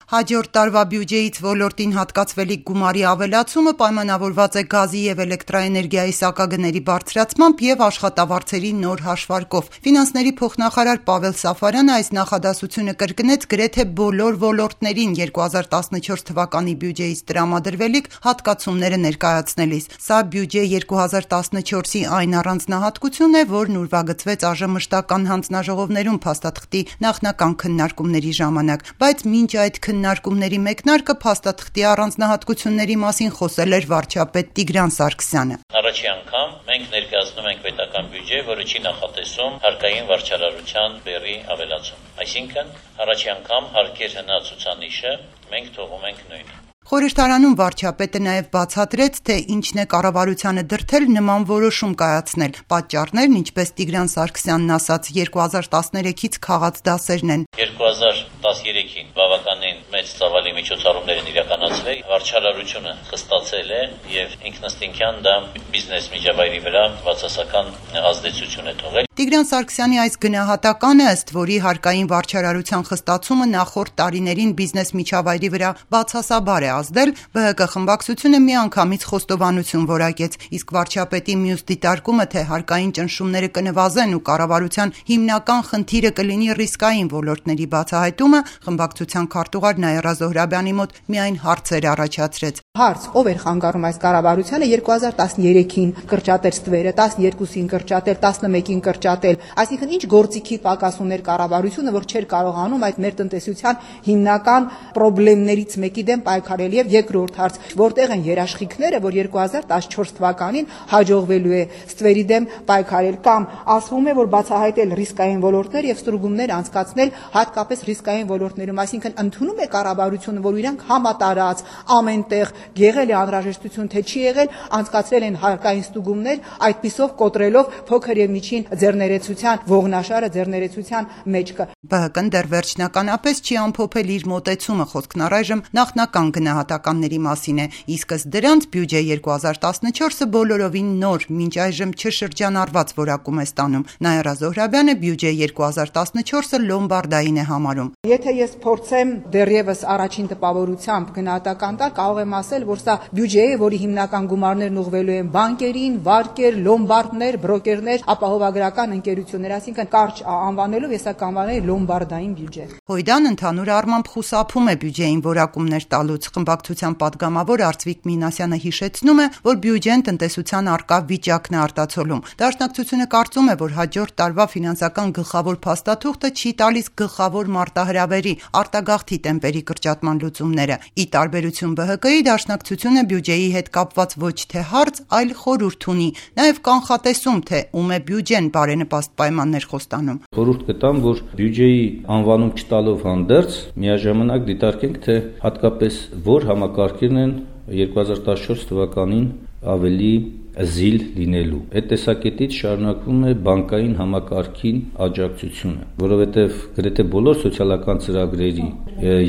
Հաջորդ տարվա բյուջեից ոլորտին հատկացվելիք գումարի ավելացումը պայմանավորված է գազի և էլեկտրաէներգիայի սակագների բարձրացմամբ և աշխատավարձերի նոր հաշվարկով։ Ֆինանսների փոխնախարար Պավել Սաֆարյանը այս նախադասությունը կրկնեց գրեթե բոլոր ոլորտներին 2014 թվականի բյուջեից տրամադրվելիք հատկացումները ներկայացնելիս։ Սա բյուջե 2014-ի այն առանձնահատկությունն է, որն ուրվագծվեց ԱԺՄ հանձնաժողովներում փաստաթղթի նախնական քննարկումների ժամանակ, բայց մինչ այդ քննարկումների մեկնարկը փաստաթղթի առանձնահատկությունների մասին խոսել էր վարչապետ Տիգրան Սարգսյանը։ Առաջի անգամ մենք ներկայացնում ենք պետական բյուջե, որը չի նախատեսում հարկային վարչարարության բեռի ավելացում։ Այսինքն, առաջի անգամ հարկեր հնա ցուցանիշը մենք թողում ենք նույնը։ Խորհրդարանում վարչապետը նաև բացատրեց, թե ինչն է կառավարությանը դրդել նման որոշում կայացնել։ Պատճառներն, ինչպես Տիգրան Սարգսյանն ասաց, 2013-ից քաղած դասերն են։ 2013-ին բավականին մեծ ծավալի միջոցառումներ են իրականացվել, վարչարարությունը խստացել է եւ ինքնըստինքյան դա բիզնես միջավայրի վրա բացասական ազդեցություն է թողել։ Տիգրան Սարգսյանի այս գնահատականը, ըստ որի հարկային վարչարարության խստացումը նախորդ տարիներին բիզնես միջավայրի վրա բացասաբար է ազդել, ԲՀԿ խմբակցությունը միանգամից խոստովանություն որակեց, իսկ վարչապետի մյուս դիտարկումը, թե հարկային ճնշումները կնվազեն ու կառավարության հիմնական խնդիրը կլինի ռիսկային ոլորտների բացահայտումը, խմբակցության քարտուղար Նաիրա Զոհրաբյանի մոտ միայն հարցեր առաջացրեց։ Հարց, ով էր խանգարում այս կառավարությանը 2013-ին կրճատել ստվերը, 12-ին կրճատել, 11-ին կրճատել, այսինքն ինչ գործիքի պակաս ուներ կառավարությունը, որ չէր կարողանում այդ մեր տնտեսության հիմնական խնդիրներից մեկի դեմ պայքարել։ Եվ երկրորդ հարց, որտեղ են երաշխիքները, որ 2014 թվականին հաջողվելու է ստվերի դեմ պայքարել, կամ ասվում է, որ բացահայտել ռիսկային ոլորտներ եւ ստուգումներ անցկացնել հատկապես ռիսկային ոլորտներում, այսինքն ընդունում է կառավարությունը, որ իրանք համատարած ամենտեղ եղել է անհրաժեշտություն, թե չի եղել, անցկացրել են հարկային ստուգումներ, այդպիսով կոտրելով փոքր եւ միջին ձեռներեցության ողնաշարը ձեռներեցության մեջքը։ ԲՀԿ-ն դեռ վերջնականապես չի ամփոփել իր մոտեցումը, խոսքն առայժմ նախնական գնահատականների մասին է, իսկ ըստ դրանց բյուջե 2014-ը բոլորովին նոր, մինչ այժմ չշրջանառված որակում է ստանում։ Նաիրա Զոհրաբյանը բյուջե 2014-ը լոմբարդային է համարում։ Եթե ես փորձեմ դեռևս առաջին տպավորությամբ գնահատական տալ, կարող եմ ասել, որ սա բյուջե է, որի հիմնական գումարներն ուղղվելու են բանկերին, վարկեր, լոմբարդներ, բրոկերներ, ապահովագրական ընկերություններ, այսինքն կարճ անվանելով ես կանվանել լոմբարդային բյուջե։ Հույդան ընդհանուր առմամբ խուսափում է բյուջեին որակումներ տալուց։ Խմբակցության падգամավոր Արծվիկ Մինասյանը հիշեցնում է, որ բյուջեն տնտեսության առկա վիճակն է արտացոլում։ Դաշնակցությունը կարծում է, որ հաջորդ տարվա ֆինանսական գլխավոր փաստաթուղթը չի տալիս գլխավոր մարտահրավերի արտագաղթի տեմպերի կրճատման լուծումները։ Ի տարբերություն ԲՀԿ-ի, դաշնակցությունը բյուջեի հետ կապված ոչ թե հարց, այլ խորհուրդ ունի, նաև կանխատեսում, թե ում է բյուջեն բարենպաստ պայմաններ խոստանում։ Խորհուրդ կտամ, որ բյուջեի անվանում չտալով հանդերձ միաժամանակ դիտարկենք, թե հատկապես որ համակարգերն են 2014 թվականին ավելի զիլ լինելու։ Այդ տեսակետից շարունակվում է բանկային համակարգին աջակցությունը, որովհետև գրեթե բոլոր սոցիալական ծրագրերի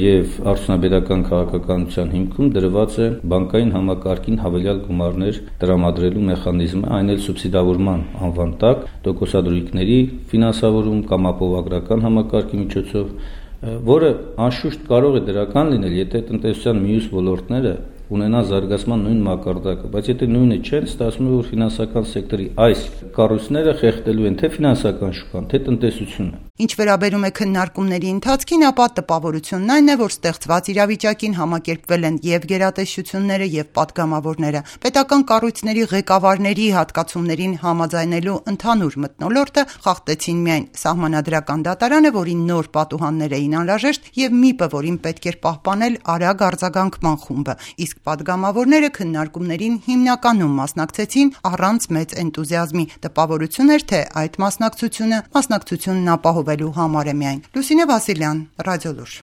եւ արդյունաբերական քաղաքականության հիմքում դրված է բանկային համակարգին հավելյալ գումարներ տրամադրելու մեխանիզմը, այն էլ սուբսիդավորման անվան տակ, տոկոսադրույքների ֆինանսավորում կամ ապահովագրական համակարգի միջոցով, որը անշուշտ կարող է դրական լինել, եթե տնտեսության մյուս ոլորտները ունենա զարգացման նույն մակարդակը, բայց եթե նույնը չեն, ստացվում է, որ ֆինանսական սեկտորի այս կառույցները խեղդելու են թե ֆինանսական շուկան, թե տնտեսությունը։ Ինչ վերաբերում է քննարկումների ընթացքին, ապա տպավորությունն այն է, որ ստեղծված իրավիճակին համակերպվել են եւ գերատեսչությունները եւ падգամավորները։ Պետական կառույցների ղեկավարների հատկացումներին համաձայնելու ընդհանուր մթնոլորտը խախտեցին միայն Սահմանադրական դատարանը, որին նոր պատուհաններ էին անհրաժեշտ, եւ ՄԻՊ-ը, որին պետք էր պահպանել արագ արձագանքման խումբը, իսկ падգամավորները քննարկումներին հիմնականում մասնակցեցին առանց մեծ էնտուզիազմի։ Տպավորություն էր, թե այդ մասնակցությունն ապահովելու համար է միայն։ Լուսինե Վասիլյան, Ռադիոլուր։